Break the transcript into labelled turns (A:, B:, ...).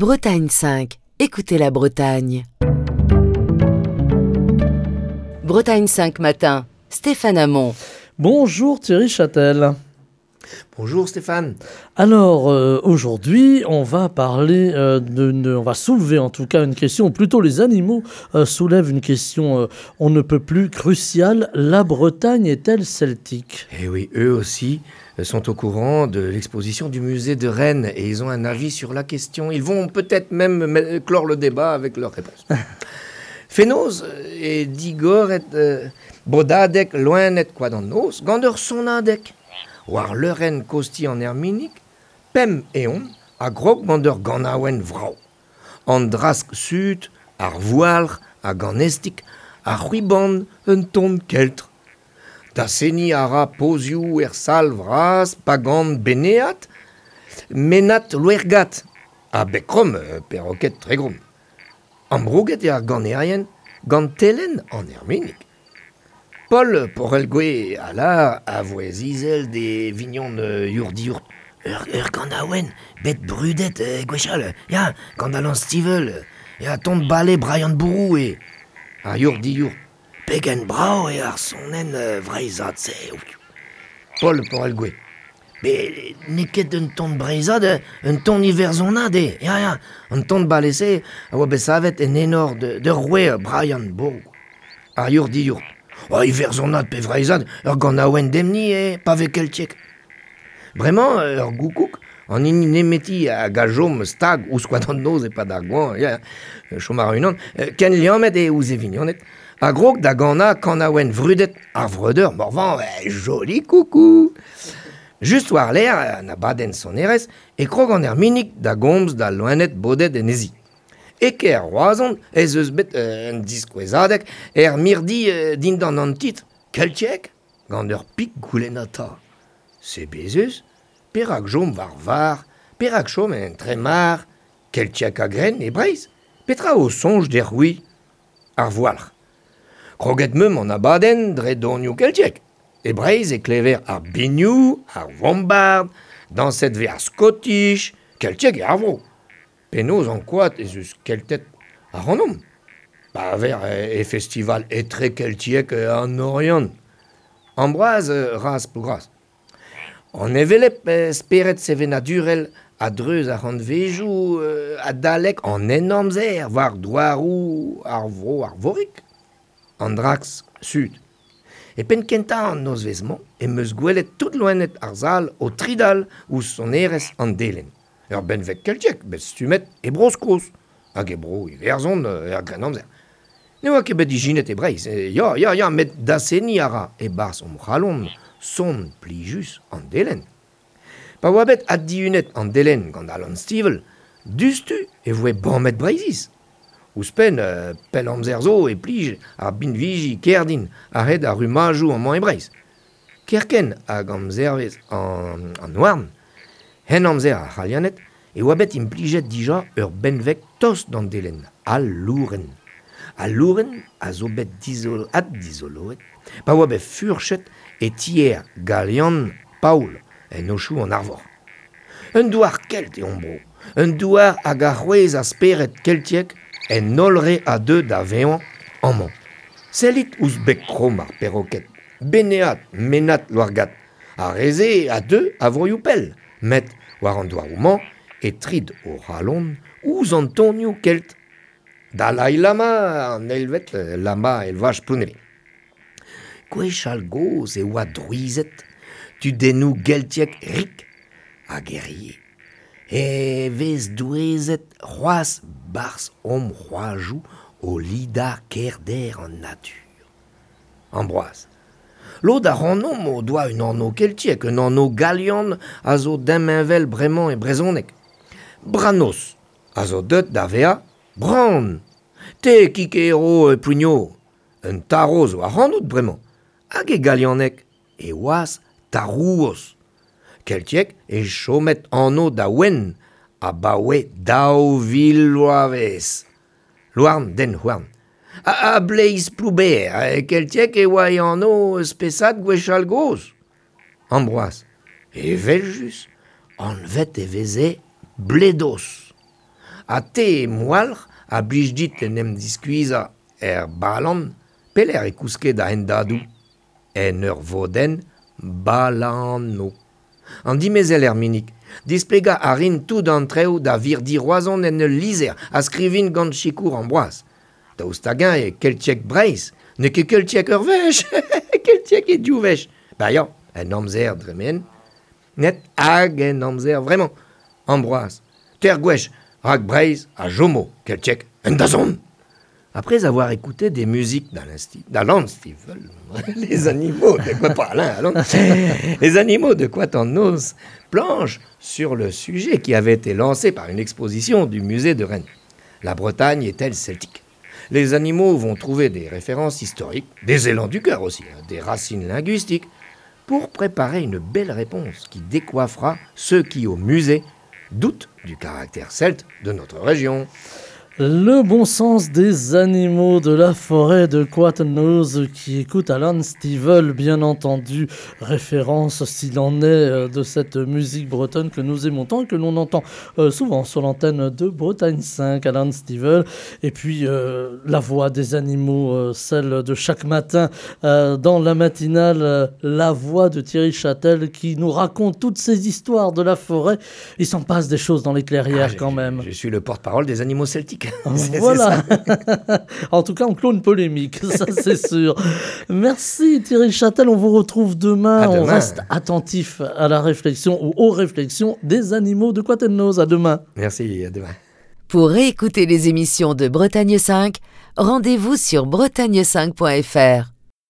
A: Bretagne 5, écoutez la Bretagne. Bretagne 5 matin, Stéphane Hamon.
B: Bonjour Thierry Châtel.
C: Bonjour Stéphane.
B: Alors aujourd'hui, on va parler on va soulever en tout cas une question, ou plutôt les animaux soulèvent une question on ne peut plus cruciale. La Bretagne est-elle celtique ?
C: Eh oui, eux aussi sont au courant de l'exposition du musée de Rennes et ils ont un avis sur la question. Ils vont peut-être même clore le débat avec leur réponse. Fenoz e digoret bodadeg loened koad an noz gant ur sonadeg. War leurenn kosti an Erminig, pemp eon a grog gant ur ganaouenn vrav. An drask sud, ar voualc'h hag an estig, ar c'hwiban un ton keltr. Da seniñ a ra pozioù er sal vras pa gant Beneat, Menat Louergat, ha Bekrom, perroquet Tregrom. Ambrouget eo ar ganerien gant telenn an Erminig. Paul Porelgwe a lâr a vouezh izel d'e vignon Yourdiourt. Ur ganaouenn bet brudet gwechall, ya, gant Alan Stivell, ya, ton bale Brian Bourou eo. Ar Yourdiourt. Pegen brav eo ar sonenn vreizhat-se. Paul Porelgwe. Met n'eo ket un ton breizhat, un ton iwerzhonat eo. Ya, ya, an ton bale-se a oa bet savet en enor d'ur roue Brian Bourou. Ar Yourdiourt. Oh, iwerzhonat pe vreizhat, ur ganaouenn demni eo, pa vez keltiek. Bremañ, ur goukoug, an hini nemeti hag a chom stag ouzh koad an noz e-pad ar goañv, ya, chom a ra unan, ken liammet eo ouzh e vignoned, a grog da ganañ kanaouenn vrudet ar vreudeur Morvan, joli coucou. Just war-lerc'h an abadenn sonerezh e krog an Erminig da gomz da loened bodet en he zi. E kêr Roazhon ez eus bet un diskouezadeg er mirdi dindan an titl Keltiek gant ur pik goulennata. Sebezus, perak chom war var, perak chom en tremar, keltiek a-grenn e Breizh, petra o soñj deoc'h-c'hwi? Ar voualc'h. Kroget meump an abadenn dre donioù keltiek. E Breizh e klever ar binioù, ar vombard, dañset vez ar Scottish, keltiek eo ar vro. Penaos ankouaat ez eus Kelted ac'hanomp? Pa ver e festival etrekeltiek an Oriant. Ambroaz raz Plougras. An hevelep spered sevenadurel a-dreuz ar c'hantvejoù adalek an Henamzer war douaroù ar vro Arvorig, an Drax Sud. E penn kentañ an nozvezh-mañ em eus gwelet tout loened ar sal o tridal ouzh sonerezh an delenn. Ur benveg keltiek bet stummet e Bro-Skos hag e Bro-Iwerzhon er Grennamzer. Ne oa ket bet ijinet e Breizh, ya, ya, ya, met daseniñ a ra e-barzh hon c'halon son plijus an delenn. Pa oa bet addihunet an delenn gant Alan Stivell, diouzhtu e voe bamet Breizhiz. Ouzhpenn, pell amzer zo e plij ar binviji kerdin a-hed ar rummajoù amañ e Breizh. Kerkent hag amzervezh an houarn, Henamzer ar C'halianed, e oa bet implijet dija ur benveg tost d'an delenn, al lourenn. Al lourenn a zo bet addizoloet pa oa bet furchet e tier galian Paol en Aochou an Arvor. Un douar kelt eo hon bro, un douar hag a c'hwezh ar spered keltiek en holl re a deu da vevañ amañ. Sellit ouzh beg kromm ar perroked, Benead, Menad, Louargat. Ar re-se a deu a vroioù pell, met war an douaroù-mañ e trid o c'halon ouzh an tonioù kelt. Dalai Lama, an eilvet lama elvaj Plounevez. Gwechall gozh e oa drouized, tudennoù geltiek rik hag herie. E vez douezet c'hoazh 'barzh hom c'hoajoù o lidañ kaerder an natur. Ambroaz. Lod ac'hanomp o doa un anv keltiek, un anv galian a zo damheñvel bremañ e brezhoneg. Branos a zo deuet da vezañ Bran. Te, Kikero Plouigno, un tarv zo ac'hanout bremañ. Hag e galianeg e oas tarouoz. Keltiek e chomet anv da ouenn abaoe 2000 vloavezh. Louarn den houarn. Ha bleiz Ploubêr, keltiek e oa e anv spesad gwechall gozh. Ambroaz. Evel-just, anvet e veze Bledos. Ha te, moualc'h, a blij dit en em diskuizhañ er balan, pelec'h e kouske da hendadoù? En ur vodenn balano. An dimezell Erminig, displegañ a rin tout an traoù da virdi Roazhon en ul lizher a skrivin gant sikour Ambroaz. Daoust hag-eñ eo keltiek Breizh? N'eo ket keltiek ur wech, keltiek eo div wech. Ba ya, en amzer dremen, net hag en amzer vremañ. Ambroaz, teir gwech, rak Breizh a chomo keltiek en dazont. Après avoir écouté des musiques d'Alan Stivell, les animaux de quoi pas Alain, Alan, les animaux de Koad an Noz planchent sur le sujet qui avait été lancé par une exposition du musée de Rennes. La Bretagne est-elle celtique? Les animaux vont trouver des références historiques, des élans du cœur aussi, hein, des racines linguistiques, pour préparer une belle réponse qui décoiffera ceux qui, au musée, doutent du caractère celte de notre région.
B: Le bon sens des animaux de la forêt de Koad an Noz qui écoute Alan Stivell, bien entendu, référence s'il en est de cette musique bretonne que nous aimons tant, que l'on entend souvent sur l'antenne de Bretagne 5, Alan Stivell. Et puis la voix des animaux, celle de chaque matin dans la matinale, la voix de Thierry Châtel qui nous raconte toutes ces histoires de la forêt. Il s'en passe des choses dans les clairières
C: Ah,
B: quand même.
C: Je suis le porte-parole des animaux celtiques. C'est
B: Voilà.
C: ça.
B: En tout cas, on clôt une polémique, ça c'est sûr. Merci Thierry Châtel, on vous retrouve demain.
C: À
B: On
C: demain.
B: reste attentif à la réflexion ou aux réflexions des animaux de Koad an Noz. À demain.
C: Merci, à demain.
A: Pour réécouter les émissions de Bretagne 5, rendez-vous sur bretagne5.fr.